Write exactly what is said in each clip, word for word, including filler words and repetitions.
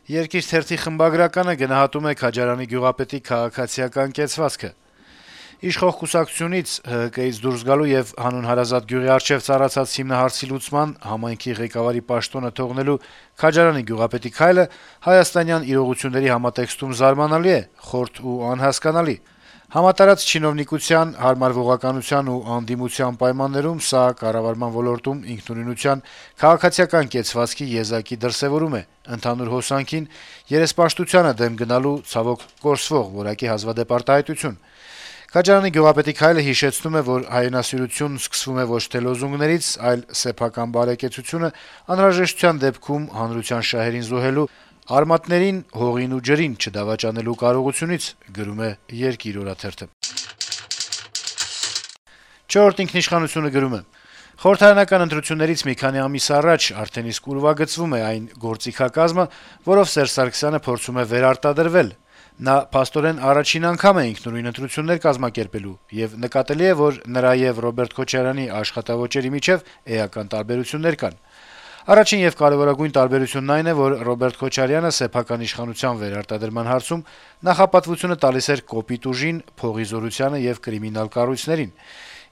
Երկիր թերթի խմբագրականը գնահատում է Քաջարյանի գյուղապետի քաղաքացիական կեցվածքը. - Իշխող կուսակցությունից ՀՀԿ-ից դուրս գալու եւ հանուն հարազատ գյուղի առջեւ ծառացած հիմնահարցի լուծման համայնքի ղեկավարի պաշտոնը թողնելու Քաջարյանի գյուղապետի քայլը հայաստանյան իրողությունների համատեքստում զարմանալի է, խորթ ու անհասկանալի: Համատարած չինովնիկության, հարմարվողականության ու անդիմության պայմաններում սա կառավարման ոլորտում ինքնուրույնության, քաղաքացիական կեցվածքի եզակի դրսեւորում է, ընդհանուր հոսանքին, երեսպաշտությանը դեմ գնալու, ցավոք, կորսվող որակի հազվադեպ արտահայտություն: Քաջարյանի գյուղապետի քայլը հիշեցնում է, որ հայրենասիրությունն սկսվում է ոչ թե լոզունգներից, այլ սեփական բարեկեցությունը անհրաժեշտության դեպքում հանրության շահերին զոհելու, արմատներին, հողին ու ջրին չդավաճանելու կարողությունից: «Չորրորդ ինքնիշխանություն»-ը գրում է. - «Խորհրդարանական ընտրություններից մի քանի ամիս առաջ արդեն իսկ ուրվագծվում է այն գործիքակազմը, որով Սերժ Սարգսյանը փորձում է վերարտադրվել: Նա փաստորեն առաջին անգամ է ինքնուրույն ընտրություններ կազմակերպելու, եւ նկատելի է, որ նրա եւ Ռոբերտ Քոչարյանի աշխատաոճերի միջեւ էական տարբերություններ կան: Առաջին եւ կարեւորագույն տարբերությունն այն է, որ Ռոբերտ Քոչարյանը սեփական իշխանության վերարտադրման հարցում նախապատվությունը տալիս էր կոպիտ ուժին, փողի զորությանը եւ կրիմինալ կառույցներին,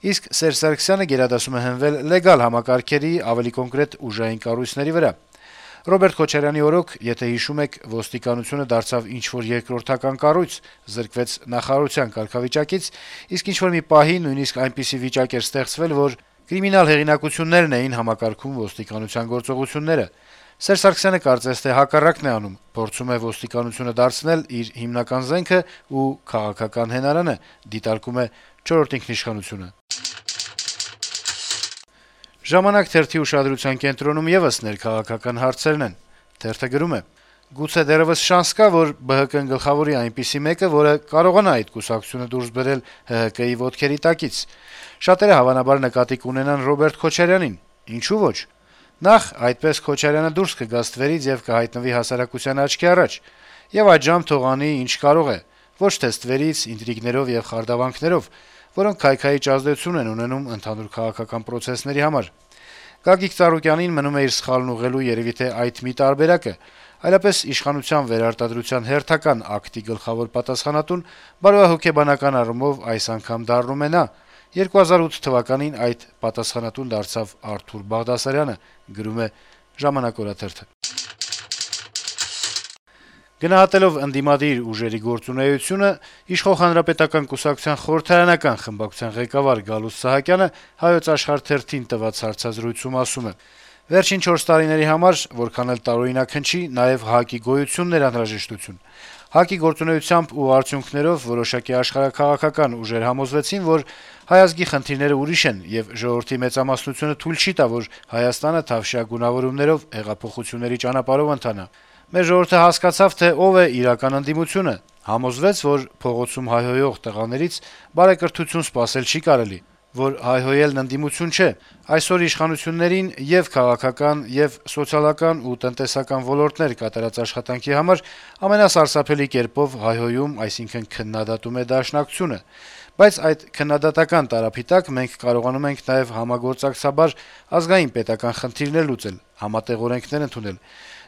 իսկ Սերժ Սարգսյանը գերադասում է հենվել լեգալ համակարգերի, ավելի կոնկրետ ուժային կառույցների վրա: Ռոբերտ Քոչարյանի օրոք, եթե հիշում եք, ոստիկանությունը դարձավ ինչ-որ երկրորդական կառույց, զրկվեց նախարարության կարգավիճակից, իսկ ինչ-որ մի պահի նույնիսկ այնպիսի վիճակ էր ստեղծվել, որ կրիմինալ հեղինակություններն էին համակարգում ոստիկանության գործողությունները: Սերժ Սարգսյանը կարծես թե հակառակն է անում, փորձում է ոստիկանությունը դարձնել իր հիմնական զենքը ու քաղաքական հենարանը», - դիտարկում է «Չորրորդ ինքնիշխանություն»-ը: «Ժամանակ» թերթի ուշադրության կենտրոնում եւս ներքաղաքական հարցերն են: Թերթը գրում է. - «Գուցե դեռեւս շանս կա, որ ԲՀԿ-ն գլխավորի այնպիսի մեկը, որը կարողանա այդ կուսակցությունը դուրս բերել ՀՀԿ-ի ոտքերի տակից: Շատերը հավանաբար նկատի կունենան Ռոբերտ Քոչարյանին: Ինչո՞ւ ոչ: Նախ, այդպես Քոչարյանը դուրս կգա ստվերից եւ կհայտնվի հասարակության աչքի առաջ, եւ այդժամ թող անի, ինչ կարող է, ոչ թե ստվերից, ինտրիգներով եւ խարդավանքներով, որոնք քայքայիչ ազդեցություն են ունենում ընդհանուր քաղաքական պրոցեսների համար: Գագիկ Ծառուկյանին մնում է իր սխալն ուղղելու երեւի թե այդ մի տարբերակը, այլապես իշխանության վերարտադրության հերթական ակտի գլխավոր պատասխանատուն բարոյահոգեբանական առումով այս անգամ դառնում է նա: երկու հազար ութ թվականին այդ պատասխանատուն դարձավ Արթուր Բաղդասարյանը»: Գնահատելով ընդդիմադիր ուժերի գործունեությունը, իշխող Հանրապետական կուսակցության խորհրդարանական խմբակցության ղեկավար Գալուստ Սահակյանը «Հայոց Աշխարհ» թերթին տված հարցազրույցում ասում է. - «Վերջին չորս տարիների համար որքան էլ տարօրինակ հնչի, նաեւ ՀԱԿ-ի գոյությունն էր անհրաժեշտություն: ՀԱԿ-ի գործունեությամբ ու արդյունքներով որոշակի աշխարհաքաղաքական ուժեր համոզվեցին, որ հայ ազգի խնդիրները ուրիշ են, եւ ժողովրդի մեծամասնությունը թույլ չի տա, որ Հայաստանը թավշյա գունավորումներով հեղափոխությունների ճանապարհով ընթանա: Մեր ժողովուրդը հասկացավ, թե ով է իրական ընդդիմությունը, համոզվեց, որ փողոցում հայհոյող տղաներից բարեկրթություն սպասել չի կարելի, որ հայհոյելն ընդդիմություն չէ: Այսօր իշխանություններին ե՛ւ քաղաքական, ե՛ւ սոցիալական ու տնտեսական ոլորտներ կատարած աշխատանքի համար ամենասարսափելի կերպով հայհոյում, այսինքն քննադատում է Դաշնակցությունը: Բայց այդ քննադատական տարափի տակ մենք կարողանում ենք նաեւ համագործակցաբար ազգային-պետական խնդիրներ լուծել, համատեղ օրենքներ ընդունել: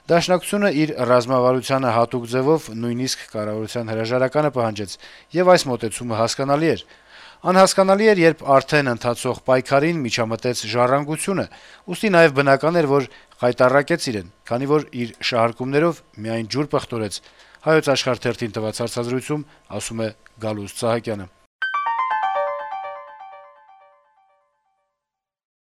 Դաշնակցությունը իր ռազմավարությանը հատուկ ձեւով նույնիսկ կառավարության հրաժարականը պահանջեց, եւ այս մոտեցումը հասկանալի էր: Անհասկանալի էր, երբ արդեն ընթացող պայքարին միջամտեց «Ժառանգությունը», ուստի նաեւ բնական էր, որ խայտառակեց իրեն, քանի որ իր շահարկումներով միայն ջուր պղտորեց»: